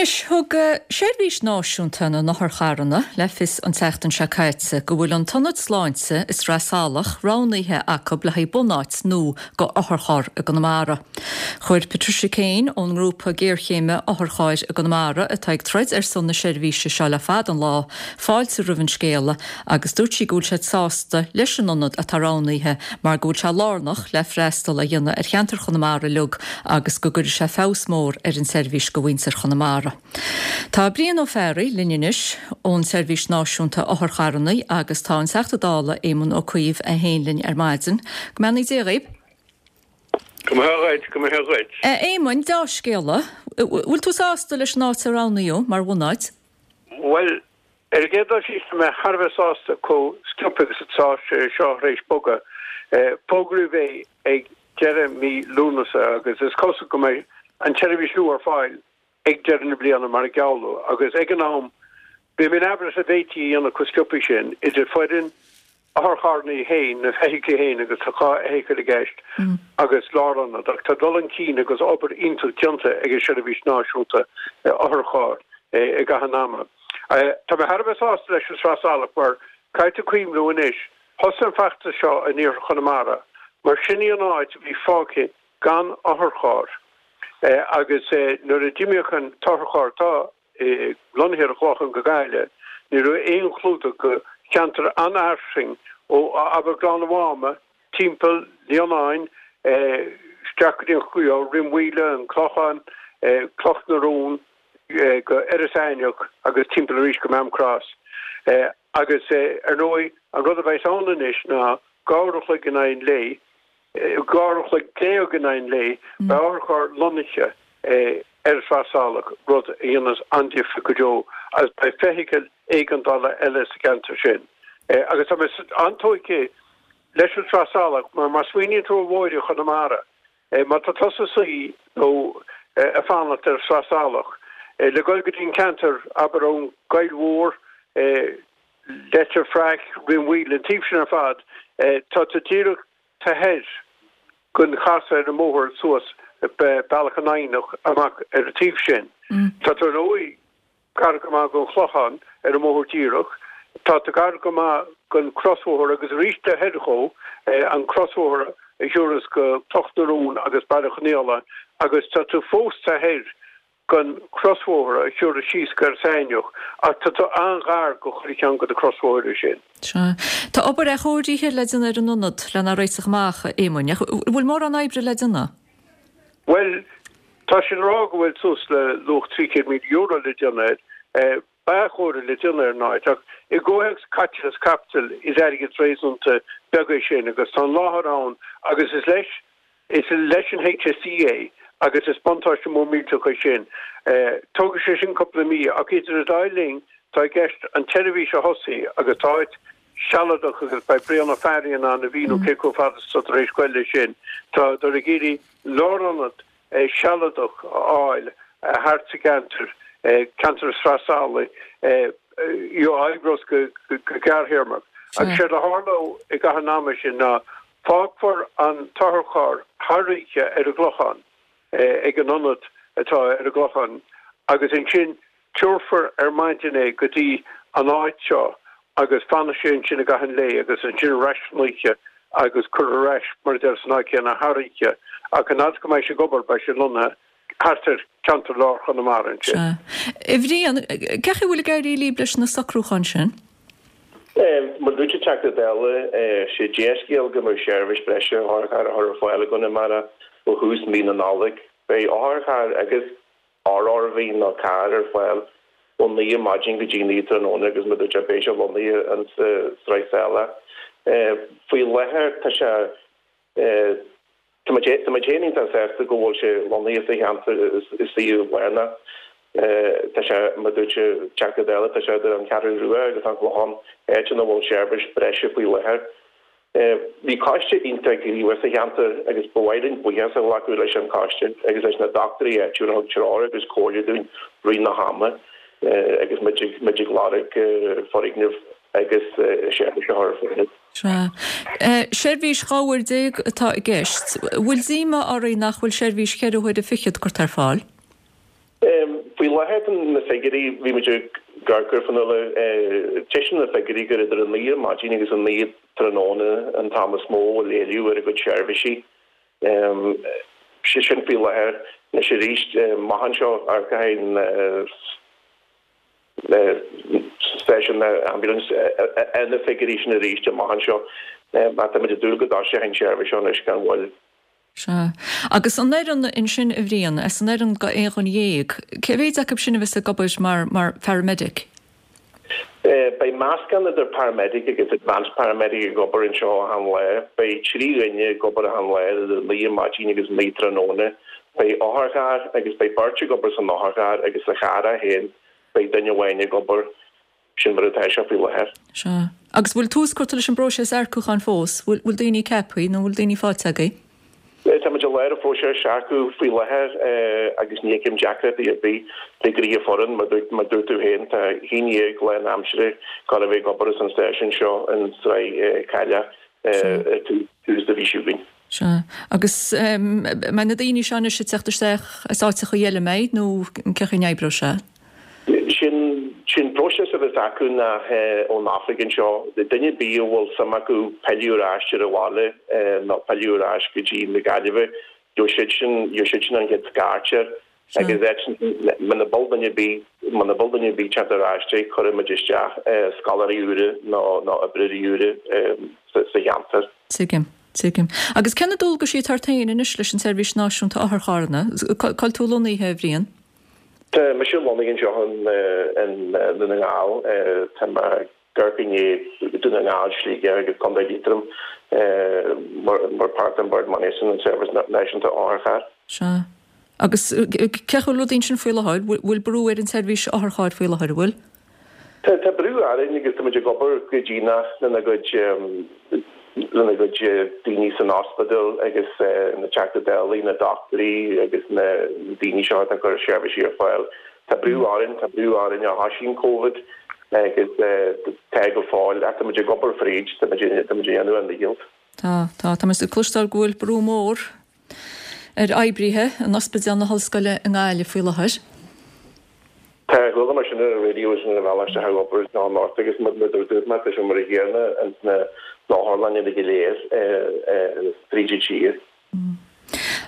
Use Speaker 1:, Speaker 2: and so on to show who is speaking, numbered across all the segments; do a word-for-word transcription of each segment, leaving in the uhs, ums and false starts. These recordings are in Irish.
Speaker 1: Anois, thug Seirbhís Náisiúnta na nOtharcharranna le fios an tseachtain seo caite go bhfuil an tIonad Sláinte i Sraith Salach roghnaithe acu le haghaidh bunáit nua do otharcharr i gConamara. Chuir Patricia Kane ón ngrúpa géarchéime Otharchairr i gConamara atá ag troid ar son na seirbhíse seo le fada an lá, fáilte roimh an scéala agus dúirt sí go bhfuil siad sásta leis an ionad atá roghnaithe mar go bhfuil sé lárnach le freastal a dhéanamh ar cheantar Chonamara uilig agus go gcuirfidh sé feabhas mór ar an tseirbhís do mhuintir Chonamara. Tá Brian Ó Fearraigh linn anois ón Seirbhís Náisiúnta Otharcharranna agus tá an Teachta Dála Éamon Ó Cuív é féin linn ar maidin. Go mbeannaí Dia dhaoibh.
Speaker 2: Go mbeannaí dhuit, go mbeannaí dhuit.
Speaker 1: Éamoin, dea-scéala, bhfuil tú sásta leis an áit a roghnaíodh mar bhunáit?
Speaker 2: Bhuel, ar an gcéad dul síos, tá mé thar a bheith sásta chomh sciobtha agus atá sé seo tar éis bogadh. Fógraíodh é ag deireadh mí Lúnasa agus is cosúil go mbeidh an tseirbhís nua ar fáil ag deireadh na bliana mar a gealladh agus ag an am bhí mé in amhras an bhféadfaí a dhéanamh chomh sciobtha sin idir foireann, otharcharranna féin, na feithiclí féin agus tá dhá fheithicil i gceist agus lárionad ach tá dul chun cinn agus obair iontach déanta ag an Seirbhís Náisiúnta Otharcharr i gcaitheamh an ama. Tá mé thar a bheith sásta leis an Sraith Salach mar caithfidh tú cuimhniú anois, thosaigh an feachtas seo in iarthar Chonamara mar sin í an áit a bhí fágtha gan otharcharr agus nuair a d'imíodh an t-otharcharr atá lonnaithe ar an Chlochán go Gaillimh, ní raibh aon chlúdach go cheantar an-fhairsing ó abair Gleann an Mháma timpeall Lionáin isteach go dtí an Rinn Mhaoile, an Clochán, Cloch na Rón go Iorras Aithneach agus timpeall arís go Maam Cross. Agus ar ndóigh an rud a bheas ann anois ná dhá uair a chloig in aghaidh an lae, dhá uair a chloig déag in aghaidh an lae, beidh otharcharr lonnaithe ar Shraith Salach, rud a dhéanas an-difríocht go deo, agus beidh feithicil éigeandála eile sa gceantar sin. Agus tá mé an-tógtha leis an Sraith Salach, mar má smaoiníonn tú ar bhóithre Chonamara, má tá tusa ag suí nó ag fanacht ar Shraith Salach le dhul go dtí an ceantar, abair ón gCoill Mhór, Leitir Fraic, Rinn Mhaoile, an taobh sin ar fad, tá tú díreach taobh thoir den chasadh ar an mbóthar suas Bealach an Eidhneach amach ar an taobh sin. Tá tú ar ndóigh gar go maith don Chlochán ar an mbóthar díreach, tá tú gar go maith don chrosbhóthar agus arís taobh thoir dhó, an crosbhóthar a thiúrfas go Cloch na Rón agus Baile Chonghaile agus tá tú fós taobh thoir den chrosbhóthar a thiúrfas síos go Iorras Aithneach ach tá tú an-ghar go chuile cheann de na crosbhóithre sin.
Speaker 1: Sea. Tá obair athchóirithe le déanamh ar an ionad lena réiteach amach, a Éamoinn. Ach bhfuil mórán oibre le déanamh?
Speaker 2: Bhuel, tá siad ag rá go bhfuil suas le luach trí chéad míle euro le déanamh air. Beidh athchóiriú le déanamh ar an áit ach i gcomhthéacs caiteachas caipitil is airgead réasúnta beag é sin agus tá an láthair ann agus is leis Is leis an HSE é agus is buntáiste mór millteach é sin. Tógfaidh sé sin cúpla mí ach idir an dá linn tá i gceist an tseirbhís a thosaí agus tá áit sealadach agus beidh Brian Ó Fearraigh in ann a mhíniú cé chomh fada is atá tar éis goil leis sin. Táthar ag iarraidh lárionad sealadach a fháil thart sa gceantar, ceantar Shraith Salaigh, a oibreos go gearrthéarmach. Agus séard a tharlódh i gcaitheamh an ama sin ná Fágfar an t-otharcharr thar oíche ar an gClochán, ag an ionad atá ar an gClochán, agus ansin tabharfar ar maidin é go dtí an áit seo agus fanfaidh sé ansin i gcaitheamh an lae agus ansin ar ais san oíche agus cuirfear ar ais, mar a deir, san áit chéanna thar oíche. Ach an fhad is go mbeidh sé ag obair, beidh sé lonnaithe thart ar cheantar lár Chonamara ansin.
Speaker 1: Sea. A Bhriain, cén chaoi a bhfuil ag éirí libh leis na socrúcháin sin?
Speaker 3: Mar a dúirt an Teachta Dála, sé dea-scéal go mbeidh seirbhís breise otharchairr á chur ar fáil i gConamara ó thús mí na Nollag. Beidh otharcharr agus RRV nó carr ar fáil ó naoi ar maidin go dtí naoi tráthnóna agus mar a dúirt sé beidh sé lonnaithe in sa Sraith Salach. Faoi láthair tá sé Tá muid féin iontach sásta go bhfuil sé lonnaithe sa cheantar i suíomh lárnach. Tá sé, mar a dúirt an Teachta Dála, tá sé idir an Cheathrú Rua agus an Clochán, áit ina bhfuil seirbhís breise faoi láthair. Bhí coiste iontach gníomhach sa cheantar agus ba mhaith linn buíochas a ghlacadh leis an choiste agus leis na dochtúirí áitiúla a thug treoir agus comhairle dúinn rith na hama agus muid ag lorg foirgneamh agus seirbhís a chur ar fáil.
Speaker 1: Sea. Seirbhís dhá uair déag atá i gceist. Bhfuil díomá oraibh nach bhfuil seirbhís cheithre huaire fichead curtha ar fáil?
Speaker 3: Faoi Faoi láthair na figiúirí, bhí muid ag amharc air Fionnuala, taispeánann na figiúirí gur idir a naoi ar maidin agus a naoi tráthnóna an t-am is mó a bhfuil éileamh ar a gcuid seirbhísí. Sé sin faoi láthair. Anois arís, amach anseo, amharcfaidh an stáisiún ambulance ar na figiúirí sin arís amach anseo. Ach táimid ag dúil go dtoiseoidh an tseirbhís seo anois gan mhoill.
Speaker 1: Sea. Agus an fhoireann ansin, a Bhriain, as an fhoireann go aon dhuine dhéag, cé mhéid acu sin a bheas ag obair mar, mar pharamedic?
Speaker 3: Beidh meascán idir paramedic agus advanced paramedic ag obair anseo achan lá. Beidh trí dhuine ag obair achan lá idir a naoi ar maidin agus a naoi tráthnóna. Beidh otharcharr agus beidh beirt ag obair san otharcharr agus sa charr é féin beidh duine amháin ag obair. Sin mar atá sé faoi láthair.
Speaker 1: Sea. Agus bhfuil tús curtha leis an bpróiseas earcúcháin fós? Bhfuil, bhfuil daoine ceaptha nó bhfuil daoine faighte agaibh?
Speaker 3: Tá muid i lár an phróiseas earcú faoi láthair agus ní fheicim deacrachtaí ar bith le gnaithe foireann. Mar mar dúirt tú féin, tá haon dhéag lánaimseartha ag gabháil a bheith ag obair as an stáisiún seo in Sraith Cailleach ar tús na mhí seo chugainn.
Speaker 1: Sea. Agus mbeidh na daoine seo anois ag teacht isteach as áiteacha eile, mbeidh, nó cén chaoi a n-oibreoidh sé?
Speaker 3: Sin sin próiseas a bheas acu ná ón oifig anseo, duine ar bith a bhfuil suim acu pilleadh ar ais ar an bhaile nó pilleadh ar ais go dtí na Gaillimhe, gheobhaidh siad sin gheobhaidh siad sin an chéad scairt air agus muna bhfuil duine ar bith muna bhfuil duine ar bith teacht ar ais dé cuirfidh muid isteach scoláirí úra nó nó oibreoirí úra sa cheantar.
Speaker 1: Tuigim. Tuigim. Agus cé na dualgaisí atá ort féin anois leis an tSeirbhís Náisiúnta Otharcharranna? Cá bhfuil tú lonnaithe, a Bhriain?
Speaker 3: Tá mise lonnaithe anseo in Dún na nGall. Tá mé ag amharc i ndiaidh Dún na nGall, Sligeach agus Contae Liatroim mar mar páirt den Bord Management an Seirbhís Náisiúnta Otharcharr.
Speaker 1: Sea. Agus cén chaoi a bhfuil rudaí ansin faoi láthair? Bhfuil brú ar an tseirbhís otharchairr faoi láthair, an bhfuil?
Speaker 3: Tá tá brú orainn agus tá muid ag obair go dian lena gcuid lena gcuid daoine san ospidéal agus na Teachtaí Dála, na dochtúirí agus na daoine seo atá ag cur seirbhísí ar fáil. Tá brú orainn, tá brú orainn ó thosaigh an Covid agus tá go fóill ach tá muid ag obair fríd, tá muid tá muid ag déanamh ár ndícheall.
Speaker 1: Tá, tá, tá muid ag cloisteáil go bhfuil brú mór ar oibrithe in Ospidéal na hOllscoile i nGaillimh faoi láthair.
Speaker 3: Tá, chuala mé sin ar an raidió sin ar an bhealach isteach ag obair ná anocht agus mar a dúirt mé, tá sé mar a chéanna ins na otharlanna go léir tríd an tír.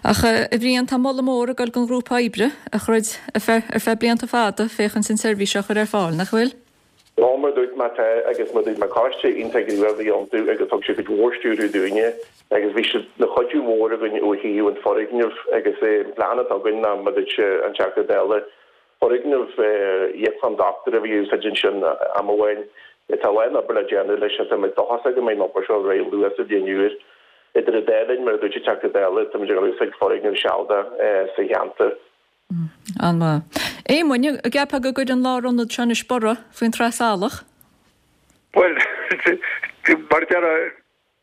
Speaker 1: Ach a Bhriain, tá moladh mór ag dul don ghrúpa oibre a throid ar feadh ar feadh blianta fada féachaint an tseirbhís seo a chur ar fáil, nach bhfuil?
Speaker 3: Ó, mar a dúirt mé, tá, agus mar a dúirt mé, coiste iontach gníomhach a bhí iontu agus thug siad cuid mhór stiúrtha dúinne agus bhí siad ina chuidiú mhór againn ó thaobh an foirgneamh agus an plean atá againn ná, mar a dúirt an Teachta Dála, foirgneamh íoclann dochtúra a bhí á úsáid ansin am amháin. Tá a lán obair le déanamh leis ach tá mé dóchasach go mbeidh an obair seo réidh luath sa bhliain úr. Idir an dá linn, mar a dúirt an Teachta Dála, tá muid ag úsáid foirgneamh sealadach sa cheantar.
Speaker 1: An-mhaith. Éamoinn, an gceapfá go gcuirfidh an lárionad seo anois borradh faoin Sraith Salach?
Speaker 2: Bhuel, mar a déarfá,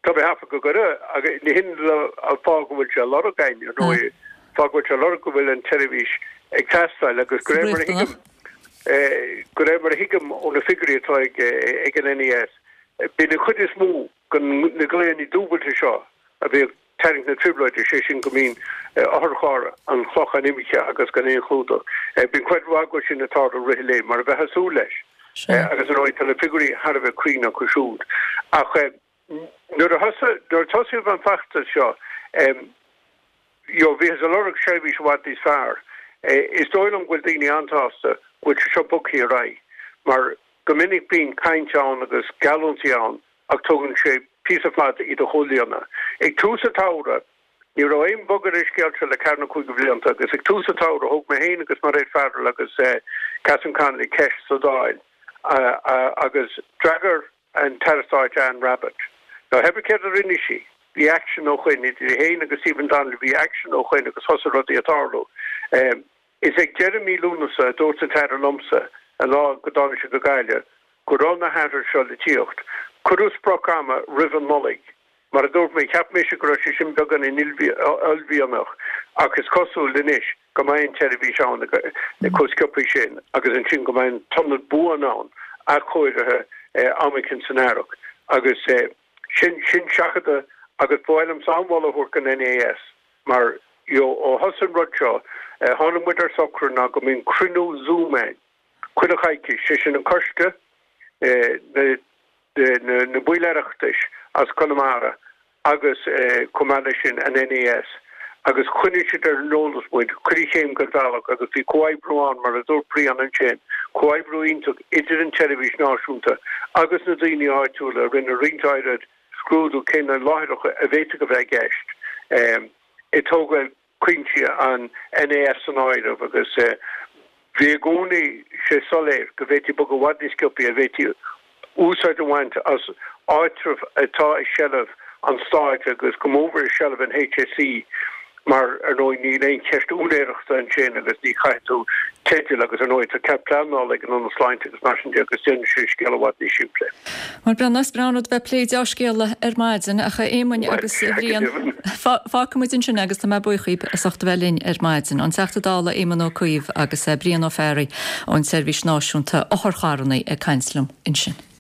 Speaker 2: tá mé ag ceapadh go gcuirfidh, agus ní hin an fáth go bhfuil sé á lorg againn, ar ndóigh. Fáth go bhfuil sé á lorg go bhfuil an tseirbhís ag teastáil agus de réir mar a thuigim, de réir mar a thuigim ó na figiúirí atá ag ag an NES, bíonn an chuid is mó de na glaonna dúbailte seo a bhíodh tarraingt na trioblóide, sé sin go mbíonn otharcharr an Chlocháin imithe agus gan aon chlúdach. Bíonn cuid mhaith acu sin ag tarlú i rith an lae, mar a bheifeá ag súil leis. Agus ar ndóigh tá na figiúirí thar a bheith cruinn acu siúd. Ach nuair a thosaigh, nuair a tosaíodh an feachtas seo, you know, bhíothas ag lorg seirbhís i bhfad níos fearr. Is dóigh liom go bhfuil daoine an-sásta go bhfuil sé seo bogtha ar aghaidh, mar go minic bíonn caint ann agus geallúintí ann ach tógann sé píosa fada iad a chomhlíonadh. Ag tús an tsamhraidh, ní raibh aon bhogadh ar an scéal seo le ceathair nó cúig de bhlianta agus ag tús an tsamhraidh thóg mé féin agus Mairéad Farrell agus Catherine Connolly ceist sa Dáil agus d'fhreagair an tAire Stáit Anne Rabbitte. Now pé ar bith céard a rinne sí, bhí aicsean ó shoin, idir í féin agus Stephen Donnelly, bhí aicsean ó shoin agus thosaigh rudaí ag tarlú. Is ag deireadh mí Lúnasa a dúirt an tAire liomsa, an lá go dtáinig sé go Gaillimh, go raibh na hathruithe seo le tíocht. Cuireadh sprioc ama roimh an Nollaig. Mar a dúirt mé, cheap mise go raibh sé sin beagáinín uaillmhianach ach is cosúil anois go mbeidh an tseirbhís ann chomh sciobtha sin agus ansin go mbeidh an t-ionad buan ann, athchóirithe am éicint san earrach. Agus sin, sin seachadadh agus ba mhaith liomsa an-mholadh a thabhairt don NES mar you know ó thosaigh an rud seo, Tháinig muid ar socrú ná go mbíonn cruinniú Zoom ann chuile choicís, sé sin an coiste, na baill Oireachtais as Conamara agus chomh maith leis sin an NAS agus choinnigh siad ar an eolas muid chuile chéim den bhealach agus bhí comhoibriú ann mar a dúirt Brian ansin, comhoibriú iontach idir an tseirbhís náisiúnta agus na daoine áitiúla a rinne roinnt áirid scrúdú cé na láithreacha a bhféadfadh a bheith i gceist ag tógáil cuinsí an NAS san áireamh agus bhí i gcónaí sé soiléir go bhféadfaí bogadh i bhfad níos sciobthaí, a bhféadfaí úsáid a bhaint as áitreabh atá i seilbh an stáit agus go mór i seilbh an HSE mar ar ndóigh níl aon cheist úinéireachta ansin agus ní chaithfidh tú teideal agus ar ndóigh tá cead pleanála ag an Ionad Sláinte agus mar sin de agus déanann sé an scéal i bhfad níos simplí.
Speaker 1: Bhuel Breandán, is breá an rud bheith ag plé deá-scéala ar maidin ach a Éamoinn agus a Bhriain, fágfaidh muid ansin é agus tá mé buíoch díbh as ucht a bheith linn ar maidin. An Teachta Dála Éamon Ó Cuív agus Brian Ó Fearraigh ón tSeirbhís Náisiúnta Otharcharranna ag caint liom ansin.